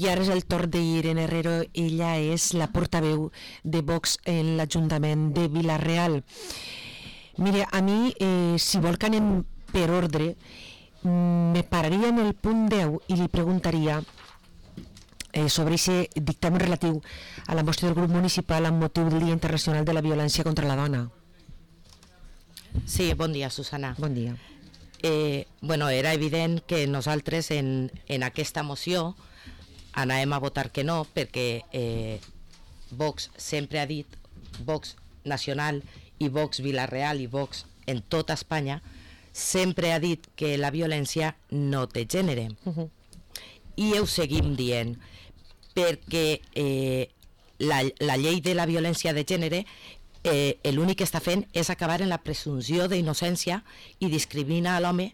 I ara és el torn d'Irene Herrero, ella és la portaveu de Vox en l'Ajuntament de Vila-real. Mire, a mi, si vol que anem per ordre, me pararia en el punt 10 i li preguntaria sobre aquest dictamen relatiu a la mostra del grup municipal amb motiu del Dia Internacional de la Violència contra la Dona. Sí, bon dia, Susana. Bon dia. Bueno, era evident que nosaltres en aquesta moció anàvem a votar que no, perquè Vox sempre ha dit, Vox nacional i Vox Vila-real i Vox en tota Espanya, sempre ha dit que la violència no té gènere. I ho seguim dient, perquè la llei de la violència de gènere l'únic que està fent és acabar en la presumpció d'innocència i discrimina a l'home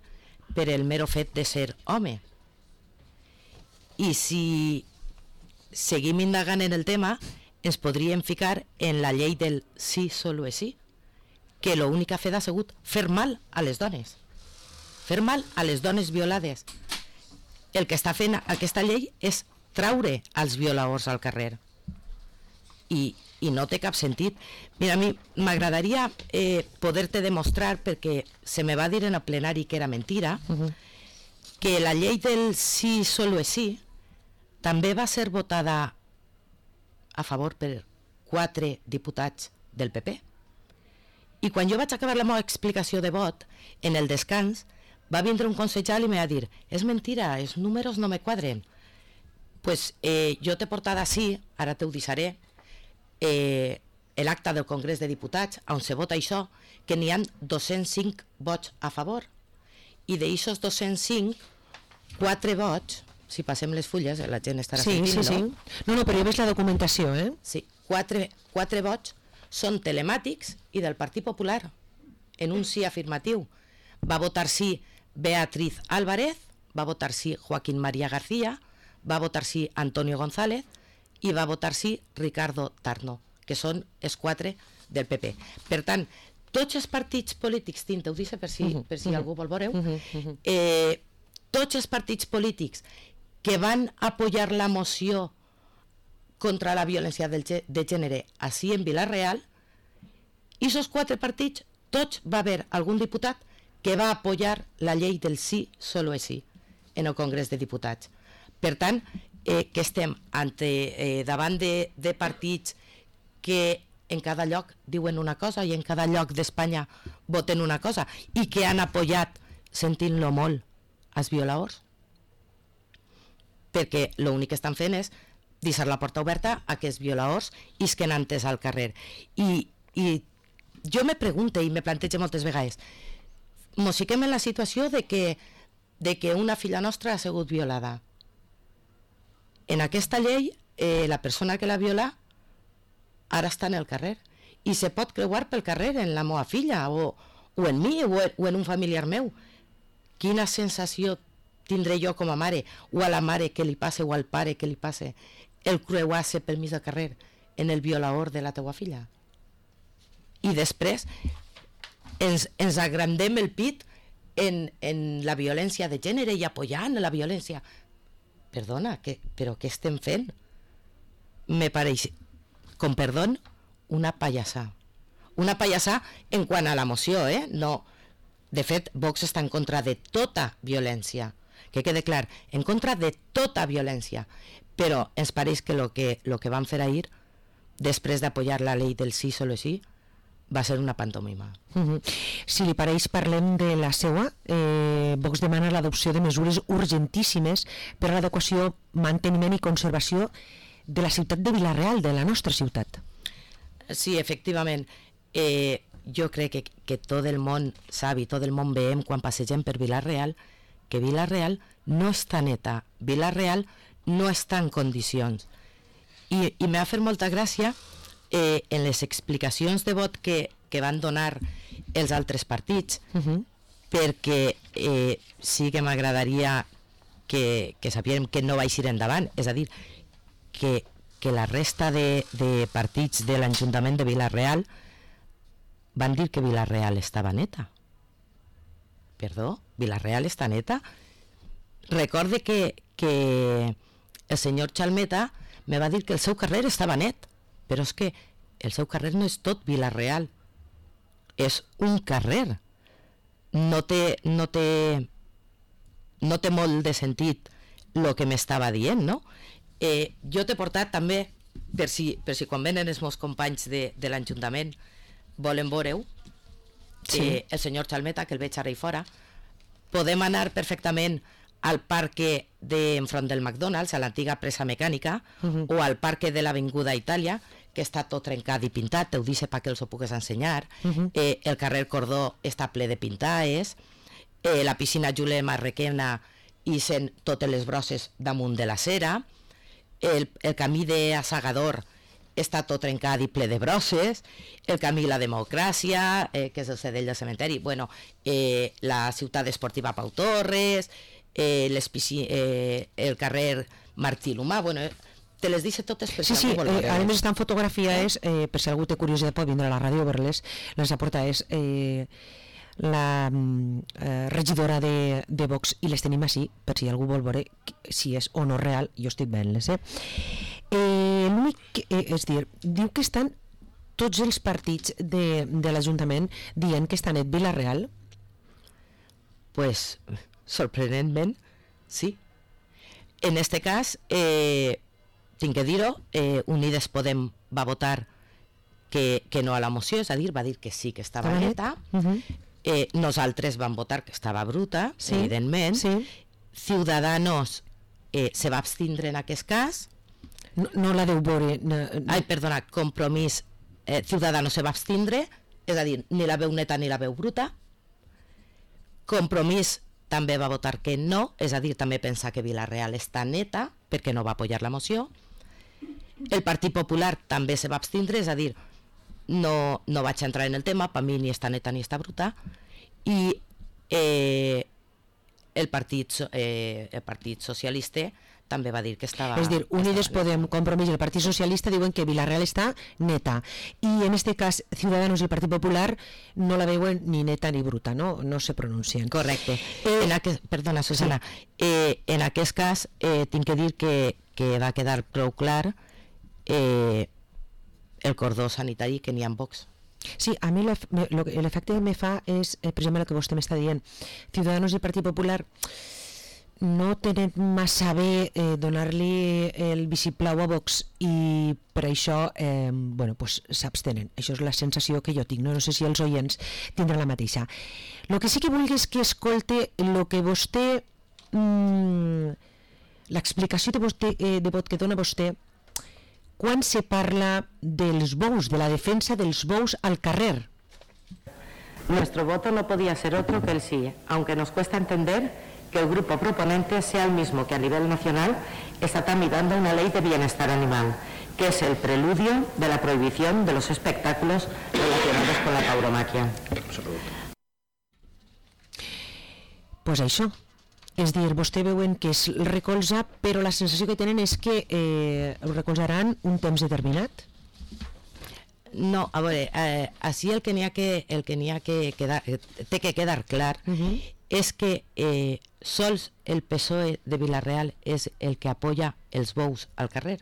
per el mero fet de ser home. I si seguim indagant en el tema, ens podríem ficar en la llei del sí solo és sí, que l'únic que ha fet ha sigut fer mal a les dones, fer mal a les dones violades. El que està fent aquesta llei és traure els violadors al carrer. I no té cap sentit. Mira, a mi m'agradaria poder-te demostrar, perquè se me va dir en el plenari que era mentira, que la llei del sí solo és sí també va ser votada a favor per 4 diputats del PP. I quan jo vaig acabar la meva explicació de vot, en el descans, va vindre un consellal i me va dir: és mentira, els números no me quadren. Pues jo t'he portat així, ara te ho deixaré, l'acte del Congrés de Diputats, on se vota això, que n'hi ha 205 vots a favor. I d'aixòs 205, 4 vots, si passem les fulles, la gent estarà sentint, no? No, però jo veig la documentació, Sí, 4 vots són telemàtics i del Partit Popular, en un sí afirmatiu. Va votar sí Beatriz Álvarez, va votar sí Joaquín María García, va votar sí Antonio González i va votar sí Ricardo Tarno, que són els 4 del PP. Per tant, tots els partits polítics, ho dic per si algú vol veure, tots els partits polítics que van apoyar la moció contra la violència de gènere així en Vila-real, i aquests 4 partits, tots va haver algun diputat que va apoyar la llei del sí solo és sí en el Congrés de Diputats. Per tant, que estem davant de partits que en cada lloc diuen una cosa i en cada lloc d'Espanya voten una cosa, i que han apoyat, sentint-lo molt, els violadors, perquè l'únic que estan fent és deixar la porta oberta a que els violadors isquen antes al carrer. I jo me pregunto i me plantejo moltes vegades, mos fiquem en la situació de que una filla nostra ha sigut violada. En aquesta llei, la persona que la viola ara està en el carrer i se pot creuar pel carrer en la meva filla o en mi o en un familiar meu. Quina sensació tindré jo com a mare, o a la mare que li passe o al pare que li passe, el creuar-se pel mig del carrer en el violador de la teua filla? I després ens agrandem el pit en la violència de gènere i apoyant la violència. Perdona, però què estem fent? Me pareix, com perdón, una pallassà. Una pallassà en quant a la moció, no. De fet, Vox està en contra de tota violència, que quede clar, en contra de tota violència, però ens pareix que lo que van fer ahir, després d'apoyar la llei del sí solo sí, va ser una pantomima. Si li pareix, parlem de la seua. Vox demana l'adopció de mesures urgentíssimes per a l'adequació, manteniment i conservació de la ciutat de Vila-real, de la nostra ciutat. Sí, efectivament. Jo crec que tot el món sabe, tot el món veiem quan passegem per Vila-real, que Vila-real no està neta, Vila-real no està en condicions. I m'ha fet molta gràcia en les explicacions de vot que van donar els altres partits, perquè sí que m'agradaria que sapiguem que no va eixir endavant, és a dir, que la resta de partits de l'Ajuntament de Vila-real van dir que Vila-real estava neta. Perdó, Vila-real està neta? Recorde que el senyor Chalmeta me va dir que el seu carrer estava net, però és que el seu carrer no és tot Vila-real, és un carrer. No té molt de sentit el que m'estava dient, no? Jo t'he portat també, per si quan venen els meus companys de l'Ajuntament volen veure-ho, el senyor Chalmeta, que el veig ara i fora, podem anar perfectament al parque enfront del McDonald's, a l'antiga presa mecànica, o al parque de l'Avinguda Itàlia, que està tot trencat i pintat, ho dic perquè els ho pugues ensenyar. El carrer Cordó està ple de pintades, la piscina Julen Marrequena i sent totes les brosses damunt de la cera, el camí d'Assagador està tot trencat i ple de brosses, el camí La Democràcia, que és el sedell del cementeri, bueno, la ciutat esportiva Pau Torres, el carrer Martí l'Humà, bueno, te les dice totes per sí, a més estan fotografiades, per si algú té curiositat pot vindre a la ràdio a veure-les, les aporta la regidora de Vox i les tenim així, per si algú vol veure si és o no real, jo estic veient-les. L'únic, és dir, diu que estan tots els partits de l'Ajuntament dient que està net Vila-real? Pues, sorprenentment, sí. En este cas, tinc que dir-ho, Unides Podem va votar que no a la moció, és a dir, va dir que sí que estava neta. Nosaltres vam votar que estava bruta, evidentment. Ciudadanos se va abstindre en aquest cas. No la deu veure. Ai, perdona, Compromís, Ciudadanos se va abstindre, és a dir, ni la veu neta ni la veu bruta. Compromís també va votar que no, és a dir, també pensa que Vila-real està neta, perquè no va apoyar la moció. El Partit Popular també se va abstindre, és a dir, no vaig entrar en el tema, per mi ni està neta ni està bruta, i el Partit Socialista també va dir que estava... És dir, Unides Podem, Compromís i el Partit Socialista diuen que Vila-real està neta, i en este cas Ciudadanos i el Partit Popular no la veuen ni neta ni bruta, no se pronuncien. Correcte. Perdona, Susana, en aquest cas tinc que dir que va quedar prou clar el cordó sanitari que n'hi ha en Vox. Sí, a mi l'efecte que me fa és, per exemple, el que vostè m'està dient, Ciudadanos i el Partit Popular no tenen massa bé donar-li el vistiplau a Vox i per això s'abstenen. Això és la sensació que jo tinc, no sé si els oients tindran la mateixa. El que sí que vull és que escolte el que vostè, l'explicació de vot que dona vostè quan se parla dels bous, de la defensa dels bous al carrer. Nuestro voto no podía ser otro que el sí, aunque nos cuesta entender que el grupo proponente sea el mismo que a nivel nacional está tramitando una ley de bienestar animal, que es el preludio de la prohibición de los espectáculos relacionados con la tauromaquia. Pues això. És dir, vostè veuen que es recolza, però la sensació que tenen és que el recolzaran un temps determinat? No, a veure, així el que n'hi ha que quedar, té que quedar clar, és que sols el PSOE de Vila-real és el que apoya els bous al carrer.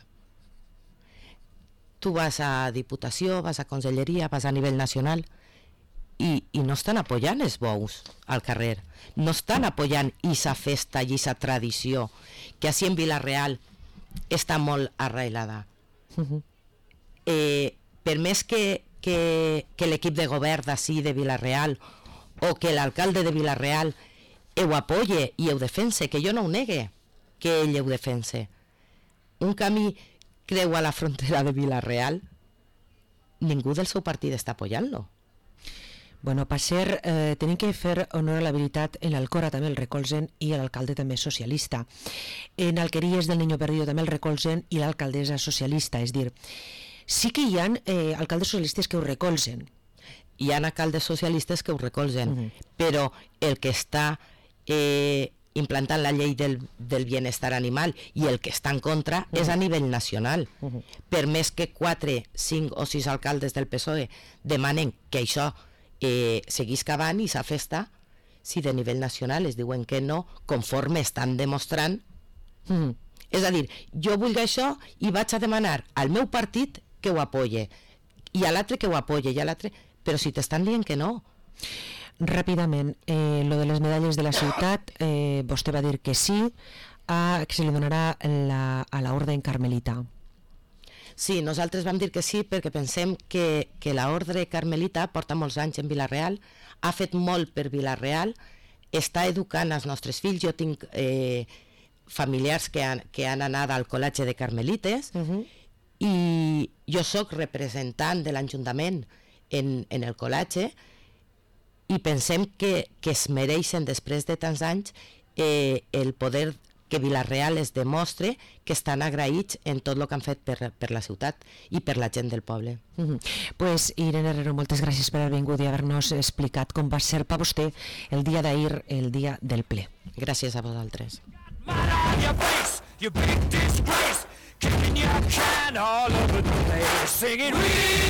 Tu vas a Diputació, vas a Conselleria, vas a nivell nacional i no estan apoyant els bous al carrer, no estan apoyant aquesta festa i aquesta tradició que així en Vila-real està molt arrailada. Per més que l'equip de govern d'ací de Vila-real o que l'alcalde de Vila-real ho apoye i ho defense, que jo no ho negue que ell ho defense, un camí creua la frontera de Vila-real, ningú del seu partit està apoyant-lo. Bueno, per ser, tenim que fer honor a la veritat, en l'Alcora també el recolzen i l'alcalde també és socialista. En Alqueries del Niño Perdido també el recolzen i l'alcaldessa socialista, és dir, sí que hi ha alcaldes socialistes que ho recolzen. Hi ha alcaldes socialistes que ho recolzen, però el que està implantant la llei del bienestar animal i el que està en contra és a nivell nacional. Per més que 4, 5 o 6 alcaldes del PSOE demanen que això seguís cavant i sa festa, si de nivell nacional es diuen que no, conforme estan demostrant És a dir, jo vull això i vaig a demanar al meu partit que ho apoye, i a l'altre que ho apoye, i a l'altre... Però si t'estan dient que no. Ràpidament, lo de les medalles de la ciutat, vostè va dir que sí, que se li donarà a l'Orde Carmelita. Sí, nosaltres vam dir que sí perquè pensem que l'Orde Carmelita porta molts anys en Vila-real, ha fet molt per Vila-real, està educant els nostres fills. Jo tinc familiars que han anat al col·legi de Carmelites, i jo sóc representant de l'Ajuntament en el col·legi, i pensem que es mereixen, després de tants anys, el poder que Vila-real es demostre que estan agraïts en tot el que han fet per la ciutat i per la gent del poble. Pues Irene Herrero, moltes gràcies per haver vingut i haver-nos explicat com va ser per vostè el dia d'ahir, el dia del ple. Gràcies a vosaltres.